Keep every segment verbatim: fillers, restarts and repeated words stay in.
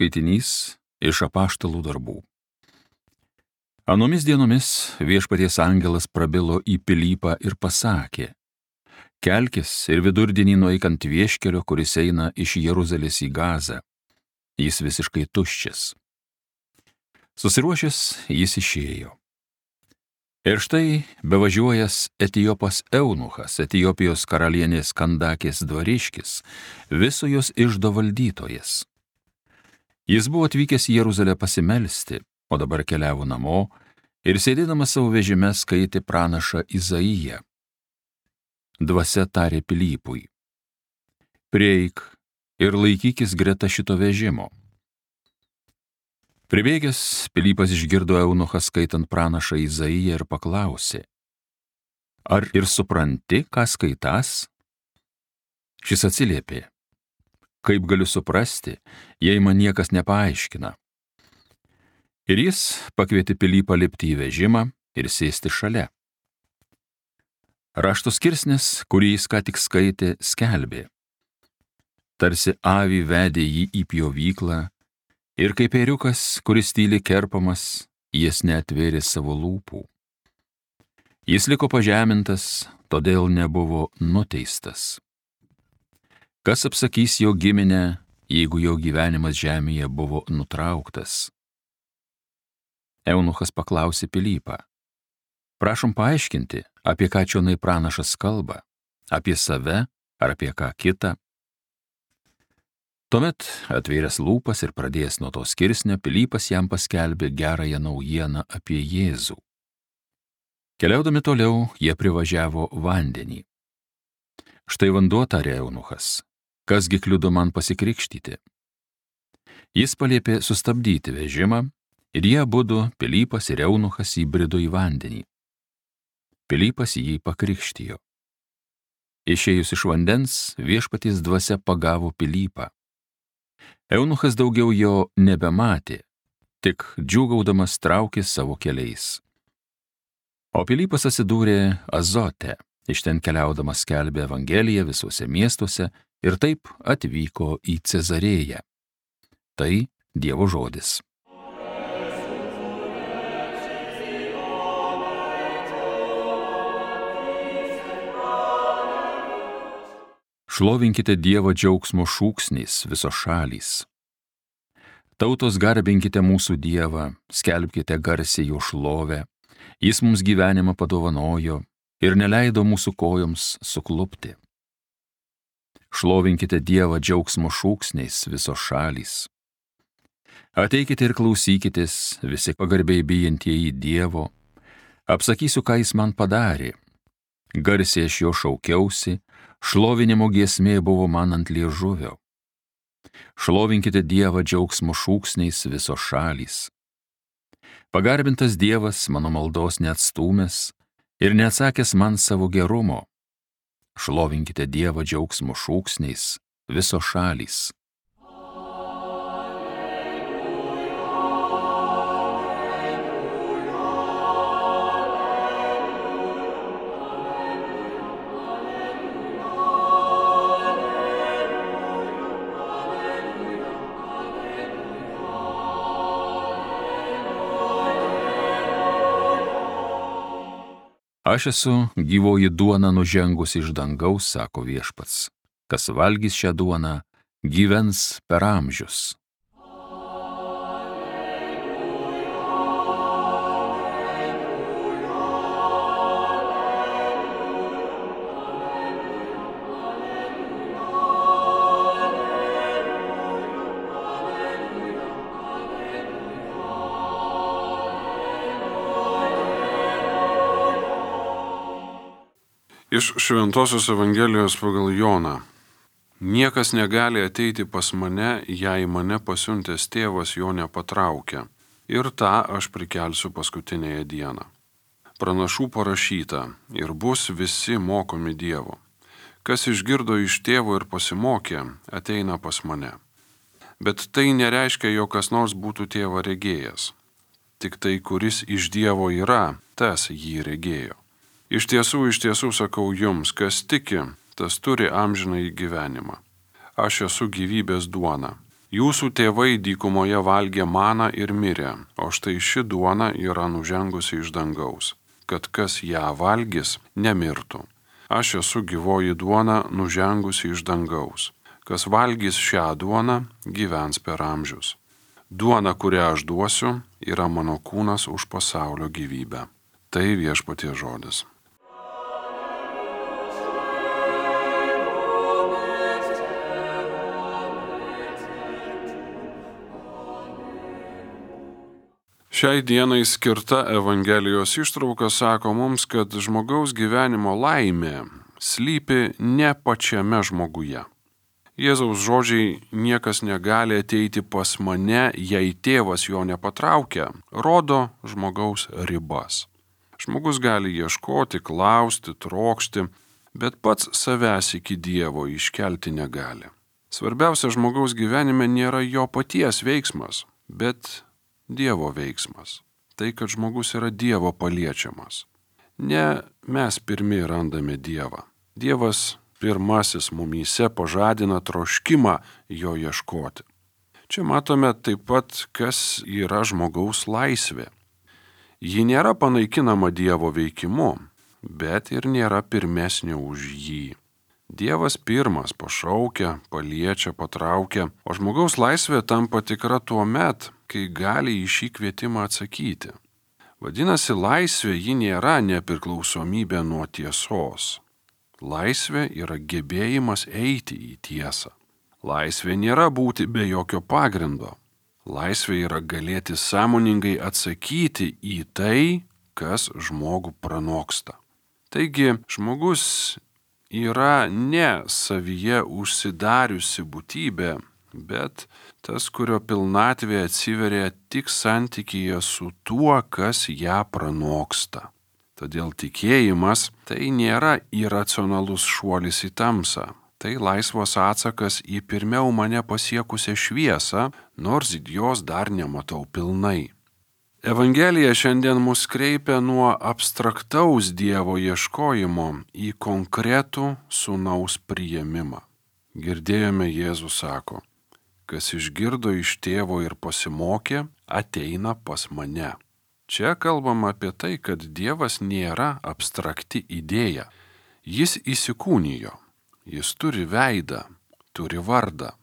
Skaitinys iš Apaštalų darbų. Anomis dienomis viešpaties angelas prabilo į Pilypą ir pasakė: kelkis ir vidurdienį nueik ant vieškelio, kuris eina iš Jeruzalės į Gazą. Jis visiškai tuščias. Susiruošęs jis išėjo. Ir štai bevažiuojas Etiopas eunuchas, Etiopijos karalienės Kandakės dvariškis, viso jos iždo valdytojas. Jis buvo atvykęs į Jeruzalę pasimelsti, o dabar keliavo namo ir sėdėdamas savo vežime skaitė pranašą Izaiją. Dvasia tarė Pilypui: prieik ir laikykis greta šito vežimo. Pribėgęs, Pilypas išgirdo eunuchą skaitant pranašą Izaiją ir paklausė: ar ir supranti, ką skaitas? Šis atsiliepė: kaip galiu suprasti, jei man niekas nepaaiškina? Ir jis pakvietė Pilypą lipti į vežimą ir sėsti šalia. Rašto skirsnis, kurį jis ką tik skaitė, skelbė: tarsi avį vedė jį į pjovyklą, ir kaip ėriukas, kuris tyliai kerpamas, jis neatvėrė savo lūpų. Jis liko pažemintas, todėl nebuvo nuteistas. Kas apsakys jo giminę, jeigu jo gyvenimas žemėje buvo nutrauktas? Eunuchas paklausė Pilypą: prašom paaiškinti, apie ką čionai pranašas kalba, apie save ar apie ką kitą? Tuomet, atvėręs lūpas ir pradėjęs nuo to skirsnio, Pilypas jam paskelbė gerąją naujieną apie Jėzų. Keliaudami toliau, jie privažiavo vandenį. Štai vanduo, tarė eunuchas, kasgi kliudo man pasikrikštyti? Jis paliepė sustabdyti vežimą ir jie abudu, Pilypas ir eunuchas, įbrido į vandenį. Pilypas jį pakrikštijo. Išėjus iš vandens, viešpaties dvasia pagavo Pilypą. Eunuchas daugiau jo nebematė, tik džiūgaudamas traukė savo keliais. O Pilypas atsidūrė Azote, iš ten keliaudamas skelbė Evangeliją visuose miestuose ir taip atvyko į Cezarėją. Tai Dievo žodis. Šlovinkite Dievą džiaugsmo šūksniais visos šalys. Tautos, garbinkite mūsų Dievą, skelbkite garsiai jo šlovę. Jis mums gyvenimą padovanojo ir neleido mūsų kojoms suklupti. Šlovinkite Dievą džiaugsmo šūksniais visos šalys. Ateikite ir klausykitės, visi pagarbiai bijantieji Dievo. Apsakysiu, ką jis man padarė. Garsiai aš jo šaukiausi, šlovinimo giesmė buvo man ant liežuvio. Šlovinkite Dievą džiaugsmo šūksniais visos šalys. Pagarbintas Dievas mano maldos neatstūmęs ir neatsakęs man savo gerumo. Šlovinkite Dievą džiaugsmo šūksniais visos šalys. Aš esu gyvoji duona nužengus iš dangaus, sako viešpats. Kas valgys šią duoną, gyvens per amžius. Iš Šventosios Evangelijos pagal Joną. Niekas negali ateiti pas mane, jei mane pasiuntęs tėvas jo nepatraukia, ir tą aš prikelsiu paskutinėje dieną. Pranašų parašyta, ir bus visi mokomi Dievo. Kas išgirdo iš tėvo ir pasimokė, ateina pas mane. Bet tai nereiškia, jog kas nors būtų tėvą regėjęs. Tik tai, kuris iš Dievo yra, tas jį regėjo. Iš tiesų, iš tiesų sakau jums, kas tiki, tas turi amžinąjį gyvenimą. Aš esu gyvybės duona. Jūsų tėvai dykumoje valgė maną ir mirė, o štai ši duona yra nužengusi iš dangaus, kad kas ją valgys, nemirtų. Aš esu gyvoji duona nužengusi iš dangaus. Kas valgys šią duoną, gyvens per amžius. Duona, kurią aš duosiu, yra mano kūnas už pasaulio gyvybę. Tai viešpaties žodis. Šiai dienai skirta Evangelijos ištrauka sako mums, kad žmogaus gyvenimo laimė slypi ne pačiame žmoguje. Jėzaus žodžiai niekas negali ateiti pas mane, jei tėvas jo nepatraukia, rodo žmogaus ribas. Žmogus gali ieškoti, klausti, trokšti, bet pats savęs iki Dievo iškelti negali. Svarbiausia žmogaus gyvenime nėra jo paties veiksmas, bet Dievo veiksmas. Tai, kad žmogus yra Dievo paliečiamas. Ne mes pirmi randame Dievą. Dievas pirmasis mumyse pažadina troškimą jo ieškoti. Čia matome taip pat, kas yra žmogaus laisvė. Ji nėra panaikinama Dievo veikimu, bet ir nėra pirmesnė už jį. Dievas pirmas pašaukia, paliečia, patraukia, o žmogaus laisvė tampa tikra tuo met, kai gali į šį kvietimą atsakyti. Vadinasi, laisvė ji nėra nepriklausomybė nuo tiesos. Laisvė yra gebėjimas eiti į tiesą. Laisvė nėra būti be jokio pagrindo. Laisvė yra galėti sąmoningai atsakyti į tai, kas žmogų pranoksta. Taigi, žmogus yra ne savyje užsidariusi būtybė, bet tas, kurio pilnatvė atsiveria tik santykyje su tuo, kas ją pranoksta. Todėl tikėjimas tai nėra iracionalus šuolis į tamsą. Tai laisvas atsakas į pirmiau mane pasiekusią šviesą, nors jos dar nematau pilnai. Evangelija šiandien mus kreipia nuo abstraktaus Dievo ieškojimo į konkretų sūnaus priėmimą. Girdėjome, Jėzus sako, kas išgirdo iš tėvo ir pasimokė, ateina pas mane. Čia kalbama apie tai, kad Dievas nėra abstrakti idėja. Jis įsikūnijo, jis turi veidą, turi vardą.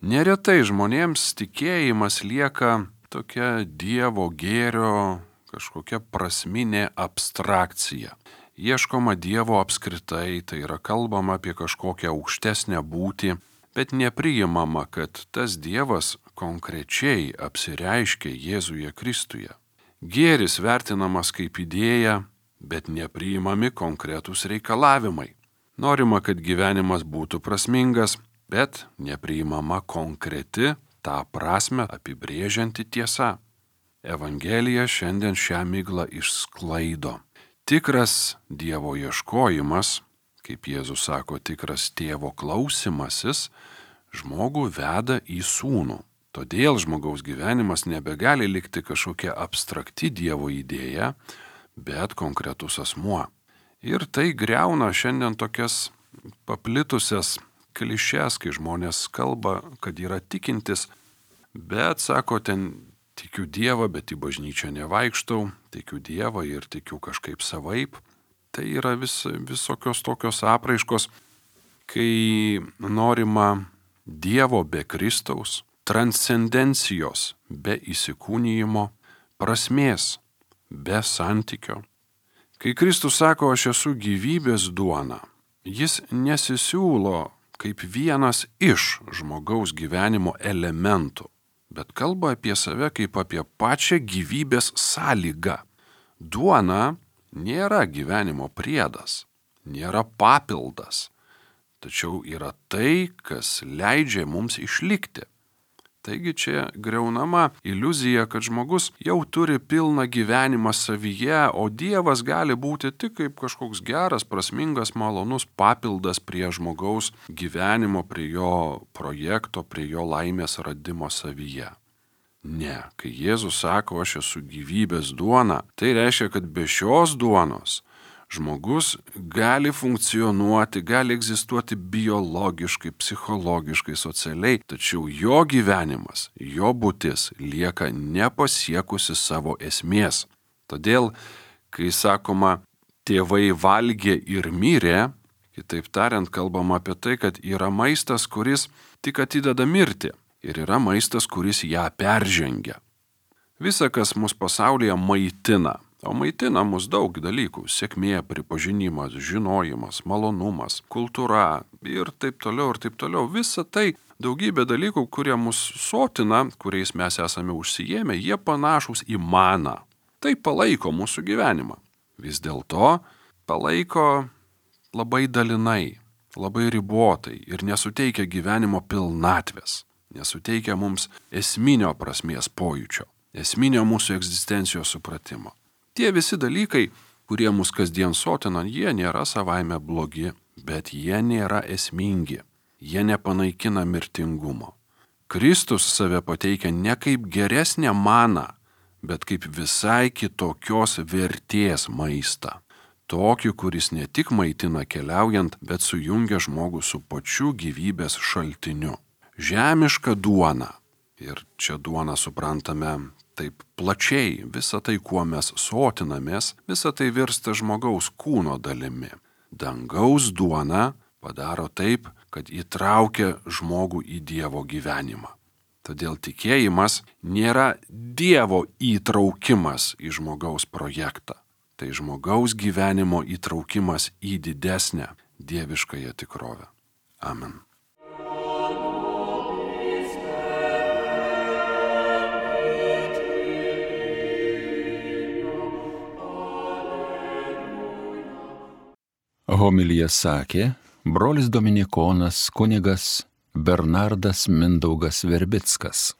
Neretai žmonėms tikėjimas lieka tokia Dievo gėrio kažkokia prasminė abstrakcija. Ieškoma Dievo apskritai, tai yra kalbama apie kažkokią aukštesnę būtį, bet nepriimama, kad tas Dievas konkrečiai apsireiškia Jėzuje Kristuje. Gėris vertinamas kaip idėja, bet nepriimami konkretūs reikalavimai. Norima, kad gyvenimas būtų prasmingas, bet nepriimama konkreti, tą prasme apibrėžianti tiesa. Evangelija šiandien šią miglą išsklaido. Tikras Dievo ieškojimas, kaip Jėzus sako, tikras tėvo klausimasis, žmogų veda į sūnų. Todėl žmogaus gyvenimas nebegali likti kažkokia abstrakti Dievo idėja, bet konkretus asmuo. Ir tai griauna šiandien tokias paplitusias klišes, kai žmonės kalba, kad yra tikintis, bet sako, ten tikiu Dievą, bet į bažnyčią nevaikštau, tikiu Dievą ir tikiu kažkaip savaip. Tai yra vis, visokios tokios apraiškos, kai norima Dievo be Kristaus, transcendencijos be įsikūnijimo, prasmės be santykio. Kai Kristus sako, aš esu gyvybės duona, jis nesisiūlo kaip vienas iš žmogaus gyvenimo elementų, bet kalba apie save kaip apie pačią gyvybės sąlygą. Duona nėra gyvenimo priedas, nėra papildas, tačiau yra tai, kas leidžia mums išlikti. Taigi čia griaunama iliuzija, kad žmogus jau turi pilną gyvenimą savyje, o Dievas gali būti tik kaip kažkoks geras, prasmingas, malonus papildas prie žmogaus gyvenimo, prie jo projekto, prie jo laimės radimo savyje. Ne, kai Jėzus sako, aš esu gyvybės duona, tai reiškia, kad be šios duonos žmogus gali funkcionuoti, gali egzistuoti biologiškai, psichologiškai, socialiai, tačiau jo gyvenimas, jo būtis lieka nepasiekusi savo esmės. Todėl, kai sakoma, tėvai valgė ir mirė, kitaip tariant, kalbama apie tai, kad yra maistas, kuris tik atideda mirtį, ir yra maistas, kuris ją peržengia. Visa, kas mus pasaulyje maitina, o maitina mus daug dalykų - sėkmė, pripažinimas, žinojimas, malonumas, kultūra ir taip toliau ir taip toliau. Visa tai daugybė dalykų, kurie mus sotina, kuriais mes esame užsijėmę, jie panašūs į maną. Tai palaiko mūsų gyvenimą. Vis dėlto palaiko labai dalinai, labai ribotai ir nesuteikia gyvenimo pilnatvės, nesuteikia mums esminio prasmės pojūčio, esminio mūsų egzistencijos supratimo. Tie visi dalykai, kurie mus kasdien sotina, jie nėra savaime blogi, bet jie nėra esmingi, jie nepanaikina mirtingumo. Kristus save pateikia ne kaip geresnę maną, bet kaip visai kitokios vertės maistą. Tokį, kuris ne tik maitina keliaujant, bet sujungia žmogų su pačiu gyvybės šaltiniu. Žemiška duona. Ir čia duona suprantame taip plačiai, visa tai, kuo mes sotinamės, visa tai virsta žmogaus kūno dalimi. Dangaus duona padaro taip, kad įtraukia žmogų į Dievo gyvenimą. Todėl tikėjimas nėra Dievo įtraukimas į žmogaus projektą. Tai žmogaus gyvenimo įtraukimas į didesnę dieviškąją tikrovę. Amen. Homiliją sakė brolis dominikonas kunigas Bernardas Mindaugas Verbickas.